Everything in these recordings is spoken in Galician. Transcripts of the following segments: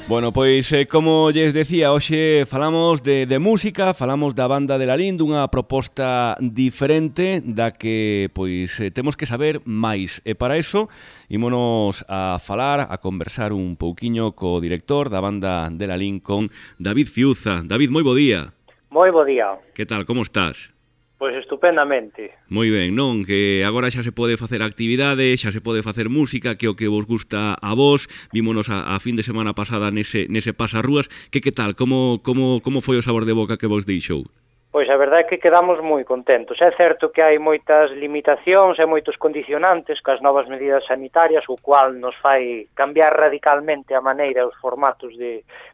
Bueno, pois, como lles decía, hoxe falamos de música, falamos da banda de Lalín, dunha proposta diferente da que, pois, temos que saber máis. E para iso, ímonos a falar, a conversar un pouquiño co director da banda de Lalín, con David Fiuza. David, moi bo día. Moi bo día. Que tal, como estás? Pois estupendamente. Moi ben, non? Que agora xa se pode facer actividade, xa se pode facer música, que é o que vos gusta a vos. Vímonos a fin de semana pasada nese pasarrúas. Que tal? Como foi o sabor de boca que vos deixou? Pois a verdade é que quedamos moi contentos. É certo que hai moitas limitacións e moitos condicionantes cas novas medidas sanitarias, o cual nos fai cambiar radicalmente a maneira e os formatos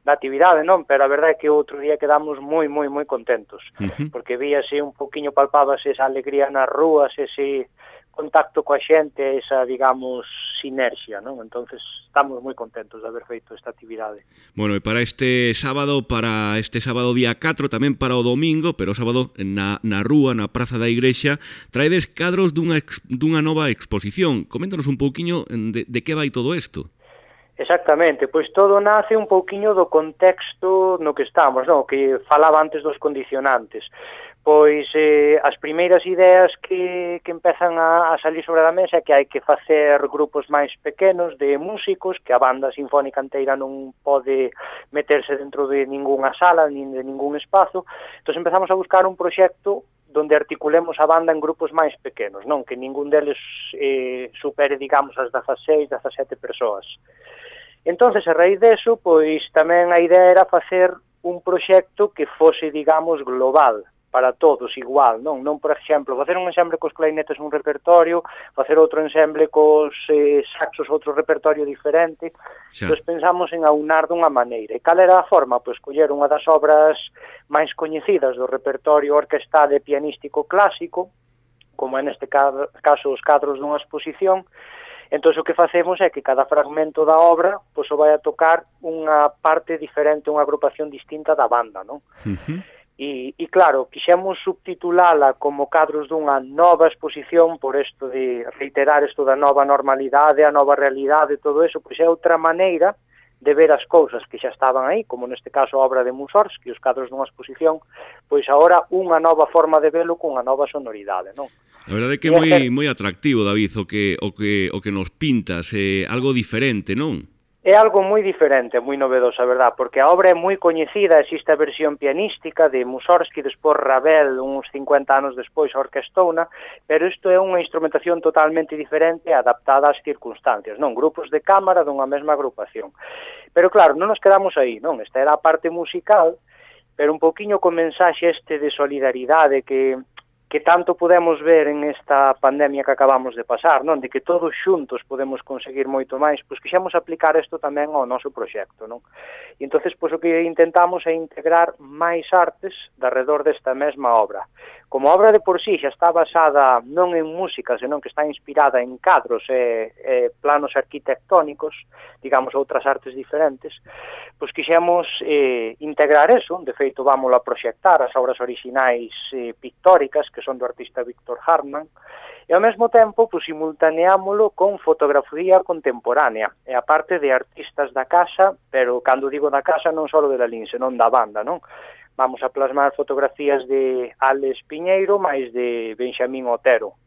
da actividade, non? Pero a verdade é que outro día quedamos moi contentos, porque víase un poquinho, palpábase esa alegría nas rúas, ese contacto coa xente, esa, digamos, sinerxia, non? Entonces estamos moi contentos de haber feito esta actividade. Bueno, e para este sábado día 4, tamén para o domingo, pero o sábado na rúa, na Praza da Igrexa, traedes cadros dunha nova exposición. Coméntanos un pouquiño de que vai todo isto. Exactamente, pois todo nace un pouquiño do contexto no que estamos, non? Que falaba antes dos condicionantes. Pois as primeiras ideas que empezan a salir sobre a mesa é que hai que facer grupos máis pequenos de músicos, que a banda sinfónica inteira non pode meterse dentro de ningunha sala, nin de ningún espazo. Entón empezamos a buscar un proxecto donde articulemos a banda en grupos máis pequenos, non? Que ningún deles supere, digamos, as 16, 17 persoas. Entonces, a raíz deso, pois tamén a idea era facer un proxecto que fose, digamos, global, para todos igual, non? Non, por exemplo, facer un ensemble cos clarinetes un repertorio, facer outro ensemble cos saxos outro repertorio diferente. Entón pensamos en aunar dunha maneira. E cal era a forma? Pois coller unha das obras máis coñecidas do repertorio orquestal e pianístico clásico, como é neste caso os cadros dunha exposición. Entón, o que facemos é que cada fragmento da obra pois o vai a tocar unha parte diferente, unha agrupación distinta da banda, non? E claro, quixemos subtitulala como cadros dunha nova exposición por isto de reiterar isto da nova normalidade, a nova realidade, todo eso, pois é outra maneira de ver as cousas que xa estaban aí, como neste caso a obra de Mussorgsky, os cadros dunha exposición, pois agora unha nova forma de velo cunha nova sonoridade, non? A verdade é que é moi atractivo, David, o que nos pintas, algo diferente, non? É algo moi diferente, moi novedoso, a verdad, porque a obra é moi coñecida, existe a versión pianística de Mussorgsky, despois Ravel, uns 50 anos despois, orquestouna, pero isto é unha instrumentación totalmente diferente, adaptada ás circunstancias, non? Grupos de cámara dunha mesma agrupación. Pero claro, non nos quedamos aí, non? Esta era a parte musical, pero un poquinho con mensaxe este de solidaridade que tanto podemos ver en esta pandemia que acabamos de pasar, non? De que todos xuntos podemos conseguir moito máis, pois quixemos aplicar isto tamén ao noso proxecto, non? E entonces, pois o que intentamos é integrar máis artes alrededor desta mesma obra. Como a obra de por sí xa está basada non en música, senón que está inspirada en cadros e planos arquitectónicos, digamos outras artes diferentes, pois quixemos integrar eso. De feito, vámoslo a proxectar as obras orixinais pictóricas, que son do artista Víctor Hartmann, e ao mesmo tempo pois, simultaneámolo con fotografía contemporánea, e a parte de artistas da casa, pero cando digo da casa non só de Lalín, senón da banda, non? Vamos a plasmar fotografías de Alex Piñeiro máis de Benxamín Otero,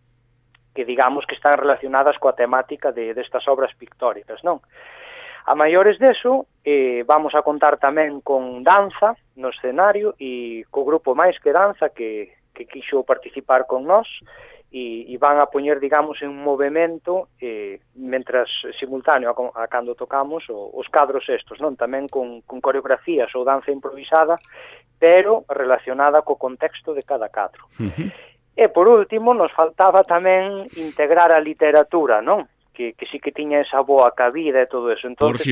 que digamos que están relacionadas coa temática destas obras pictóricas, non? A maiores deso, vamos a contar tamén con danza no escenario e co grupo Máis que Danza que quixo participar con nós e van a poñer, digamos, en movimento mentras simultáneo a cando tocamos os cadros estos, non? Tamén con coreografías ou danza improvisada, pero relacionada co contexto de cada cadro. E por último, nos faltaba tamén integrar a literatura, non? Que sí que tiña esa boa cabida e todo eso. Entonces,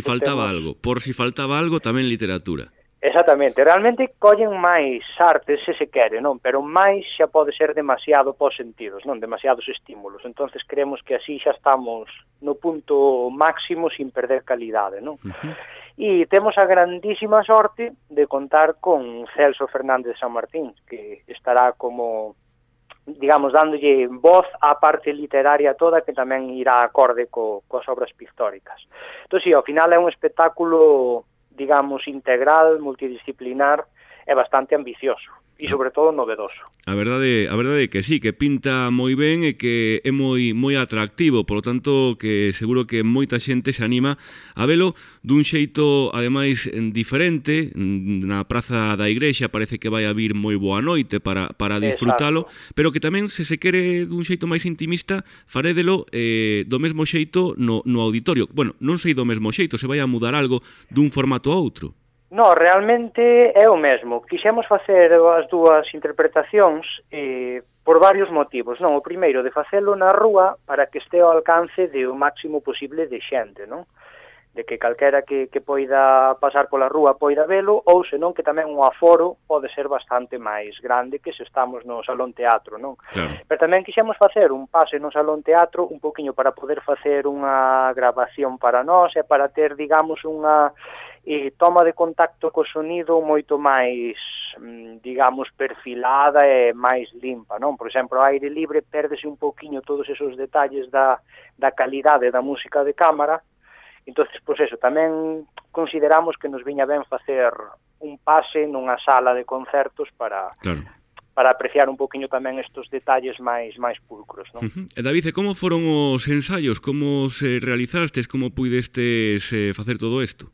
por si faltaba algo, tamén literatura. Exactamente, realmente collen máis artes se se quere, non? Pero máis xa pode ser demasiado pos sentidos, non? Demasiados estímulos. Entonces creemos que así xa estamos no punto máximo sin perder calidade, non? E temos a grandísima sorte de contar con Celso Fernández San Martín, que estará como, digamos, dándolle voz á parte literaria toda, que tamén irá acorde coas obras pictóricas. Entón, sí, ao final é un espectáculo digamos, integral, multidisciplinar e bastante ambicioso. E sobre todo novedoso. A verdade é que sí, que pinta moi ben e que é moi atractivo, polo tanto que seguro que moita xente se anima a velo dun xeito ademais diferente. Na Praza da Igrexa parece que vai a vir moi boa noite para disfrutalo. Exacto. Pero que tamén se quere dun xeito máis intimista farédelo do mesmo xeito no auditorio. Bueno, non sei do mesmo xeito, se vai a mudar algo dun formato a outro. No, realmente é o mesmo. Quixemos facer as dúas interpretacións por varios motivos. Non, o primeiro, de facelo na rúa para que este ao alcance do máximo posible de xente, non? De que calquera que poida pasar pola rúa poida velo, ou senón que tamén o aforo pode ser bastante máis grande que se estamos no Salón Teatro, non? Claro. Pero tamén quixemos facer un pase no Salón Teatro un poquinho para poder facer unha grabación para nós e para ter, digamos, unha toma de contacto co sonido moito máis, digamos, perfilada e máis limpa, non? Por exemplo, ao aire libre pérdese un poquinho todos esos detalles da calidade da música de cámara. Entonces, pois eso, tamén consideramos que nos viña ben facer un pase nunha sala de concertos para apreciar un poquinho tamén estos detalles máis pulcros, non? E David, como foron os ensaios? Como se realizastes? Como puidestes facer todo isto?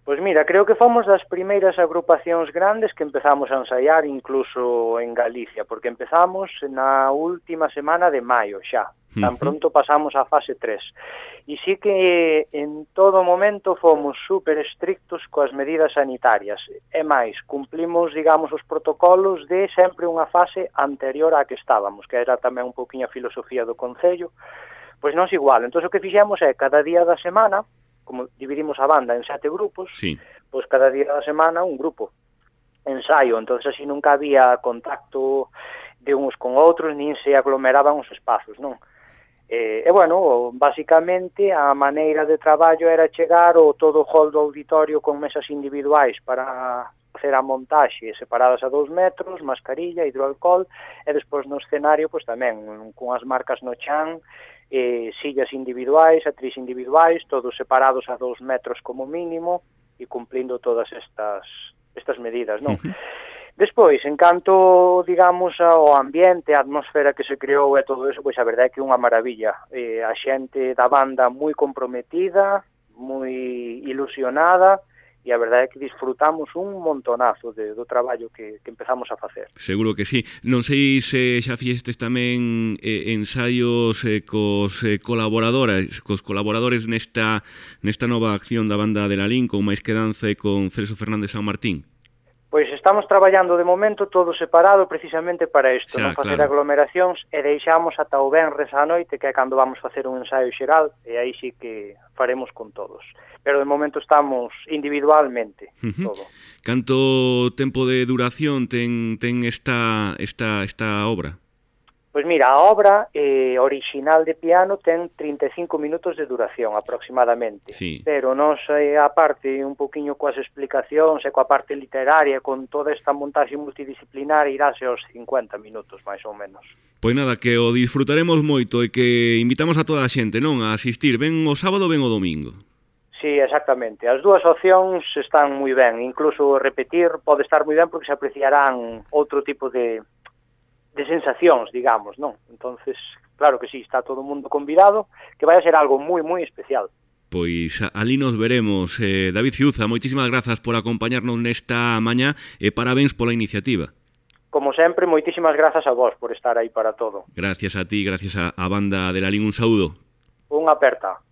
Pois mira, creo que fomos das primeiras agrupacións grandes que empezamos a ensaiar incluso en Galicia, porque empezamos na última semana de maio xa, tan pronto pasamos a fase 3. E sí que en todo momento fomos super estrictos coas medidas sanitarias. E máis, cumplimos, digamos, os protocolos de sempre unha fase anterior á que estábamos, que era tamén un poquinho a filosofía do Concello. Pois nós igual, entón o que fixemos é cada día da semana, como dividimos a banda en 7 grupos, sí, pois cada día da semana un grupo ensaio, entonces así nunca había contacto de uns con outros, nin se aglomeraban os espazos, non? E bueno, basicamente a maneira de traballo era chegar o todo o hall do auditorio con mesas individuais para facer a montaxe separadas a 2 metros, mascarilla, hidroalcohol, e despois no escenario pois tamén con as marcas no chan, sillas individuais, atriz individuais, todos separados a 2 metros como mínimo e cumplindo todas estas medidas, non? Despois, en canto, digamos, ao ambiente, a atmosfera que se creou e todo eso, pois a verdade é que é unha maravilla. A xente da banda moi comprometida, moi ilusionada, e a verdade é que disfrutamos un montonazo do traballo que empezamos a facer. Seguro que sí. Non sei se xa fixestes tamén ensaios cos colaboradores nesta nova acción da banda de Lalín, con Máis que Danza e con Celso Fernández San Martín. Pois estamos traballando de momento todo separado precisamente para isto, non facer aglomeracións, e deixamos ata o venres á noite, que é cando vamos facer un ensaio xeral, e aí sí que faremos con todos. Pero de momento estamos individualmente, todo. Canto tempo de duración ten esta obra? Pois mira, a obra original de piano ten 35 minutos de duración aproximadamente, sí, pero nos aparte un poquinho coas explicacións e coa parte literaria, con toda esta montaxe multidisciplinar, iráse aos 50 minutos, máis ou menos. Pois nada, que o disfrutaremos moito e que invitamos a toda a xente, non, a asistir, ben o sábado, ben o domingo. Sí, exactamente. As dúas opcións están moi ben, incluso repetir pode estar moi ben porque se apreciarán outro tipo de sensacións, digamos, non? Entonces, claro que sí, está todo o mundo convidado, que vai a ser algo moi especial. Pois ali nos veremos. David Ciuza, moitísimas grazas por acompañarnos nesta mañá e parabéns pola iniciativa. Como sempre, moitísimas grazas a vos por estar aí para todo. Gracias a ti, gracias a banda de Lalín, un saúdo. Unha aperta.